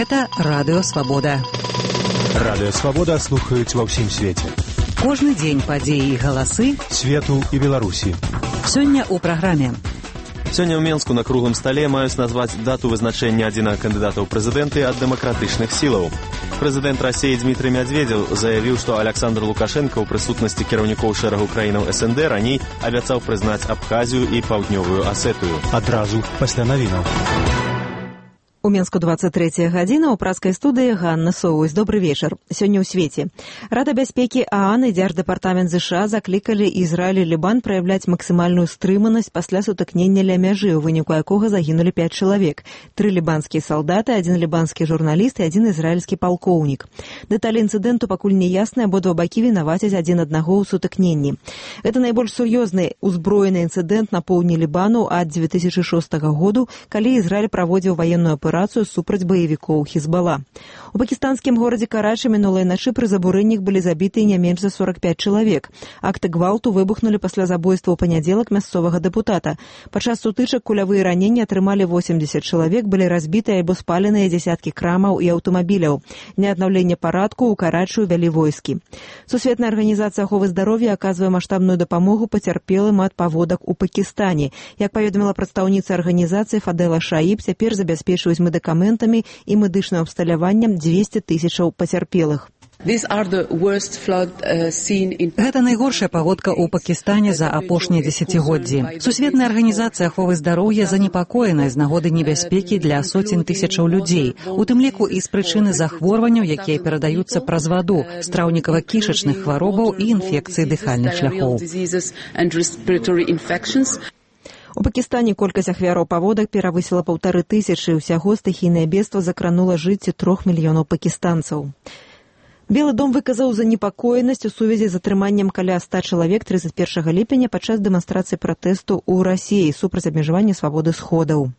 Гэта Радыё Свабода. Радыё Свабода слухаюць ва ўсім свеце. Кожны дзень падзеі і галасы свету і Беларусі. Сёння ў праграме. Сёння ў Менску на круглым стале маюць назваць дату вызначэння адзінага кандыдата ў прэзідэнты ад дэмакратычных сілаў. Прэзідэнт Расіі Дмітрый Медведзеў заявіў, што Александр Лукашенко ў прысутнасці кіраўнікоў шэрагу краінаў СНД раней абяцаў прызнаць Абхазію і Паўднёвую Асетыю. Адразу пасля навінаў. У Менску 23 гадзіна, у праскай студыі Ганна Соўвось. Добры вечар. Сёння ў свеце. Рада бяспекі ААН і Дзярждэпартамент ЗША заклікалі Ізраіль і Лібан праяўляць максімальную стрыманасць пасля сутыкнення ля мяжы, у выніку якога загінулі 5 чалавек. 3 лібанскія салдаты, 1 лібанскі журналіст і 1 ізраільскі палкоўнік. Дэталі інцыдэнту пакуль не ясныя, абодва бакі вінавацяць адзін аднаго ў сутыкненні. Гэта найбольш сур'ёзны узброены інцыдэнт на поўдні Лібану ад 2006 году, калі Ізраіль праводзіў ваенную аперацыю супраць баевікоў Хізбала. У пакістанскім горадзе Карачы мінулай начы пры забурэннях былі забіты не менш за 45 чалавек. Акты гвалту выбухнулі пасля забойства ў панядзелак мясцовага дэпутата. Падчас сутычак кулявыя раненні атрымалі 80 чалавек, былі разбітыя альбо спаленыя дзясяткі крамаў і аўтамабіляў. Для аднаўлення парадку ў Карачы ўвялі войскі. Сусветная арганізацыя аховы здароўя аказвае маштабную дапамогу пацярпелым ад паводак у Пакістане. Як паведаміла прадстаўніца арганізацыі Фадэла Шаіб, цяпер забяспечваюць медыкаментамі і медычным абсталяваннем 200 тысячаў пацярпелых. Гэта найгоршая паводка ў Пакістане за апошнія дзесяцігоддзі. Сусветная арганізацыя аховы здароўя занепакоена з нагоды небяспекі для соцень тысячаў людзей, у тым ліку і з прычыны захворванняў, якія перадаюцца праз ваду, страўнікава-кішачных хваробаў і інфекцый дыхальных шляхоў. У Пакістане колькасць ахвяраў паводак перавысіла 1500, усяго стыхійнае бедства закранула жыцці 3 мільёнаў пакістанцаў. Белы дом выказаў занепакоенасць у сувязі з атрыманнем каля 100 чалавек 31 ліпеня падчас дэманстрацыі пратэсту ў Расіі супраць абмежавання свабоды сходаў.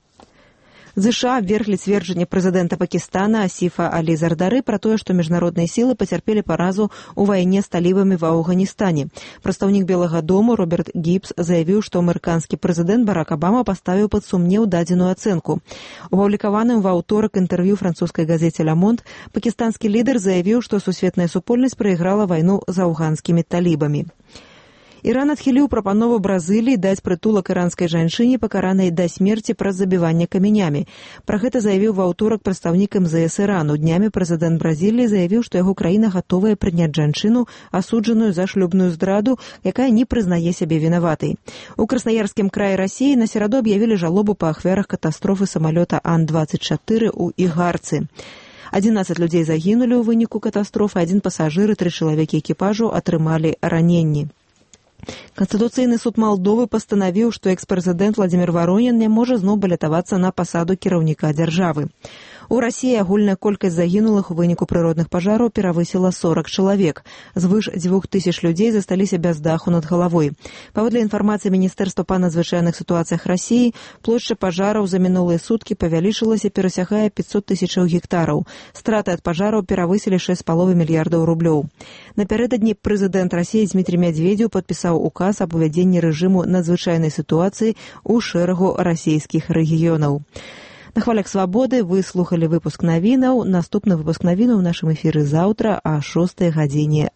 ЗША абверглі цверджанне прэзідэнта Пакістана Асіфа Алі Зардары пра тое, што міжнародныя сілы пацярпелі паразу ў вайне з талібамі ва Афганістане. Прадстаўнік Белага дому Роберт Гібс заявіў, што амерыканскі прэзідэнт Барак Абама паставіў пад сумнеў дадзеную ацэнку. У апублікаваным ва ўторак інтэрв'ю французскай газеце «Ля Монт» пакістанскі лідар заявіў, што сусветная супольнасць прайграла вайну з афганскімі талібамі. Іран адхіліў прапанову Бразыліі даць прытулак іранскай жанчыне, пакаранай да смерці праз забіванне камянямі. Пра гэта заявіў ва ўторак прадстаўнік МЗС Ірану. Днямі прэзідэнт Бразіліі заявіў, што яго краіна гатовая прыняць жанчыну, асуджаную за шлюбную здраду, якая не прызнае сябе вінаватай. У Краснаярскім краі Расіі на сераду аб'явілі жалобу па ахвярах катастрофы самалёта Ан-24 у Ігарцы. 11 людзей загінулі ў выніку катастрофы, 1 пасажыр і 3 чалавекі экіпажу атрымалі раненні. Канстытуцыйны суд Малдовы пастанавіў, што экс-прэзідэнт Владзімір Варонін не можа зноў балятавацца на пасаду кіраўніка дзяржавы. У Расіі агульная колькасць загінулых у выніку прыродных пажараў перавысіла 40 чалавек. Звыш 2000 людзей засталіся без даху над галавой. Паводле інфармацыі Міністэрства па надзвычайных сітуацыях Расіі, плошча пажараў за мінулыя суткі павялічылася, перасягае 500 тысячаў гектараў. Страты ад пажараў перавысілі 6,5 мільярдаў рублёў. Напярэдадні прэзідэнт Расіі Дмітрый Медведзеў падпісаў указ аб увядзенні рэжыму надзвычайнай сітуацыі ў шэрагу расійскіх рэгіёнаў. На хвалях свабоды вы слухалі выпуск навінаў. Наступны выпуск навінаў у нашым эфіры заўтра о 6 гадзіне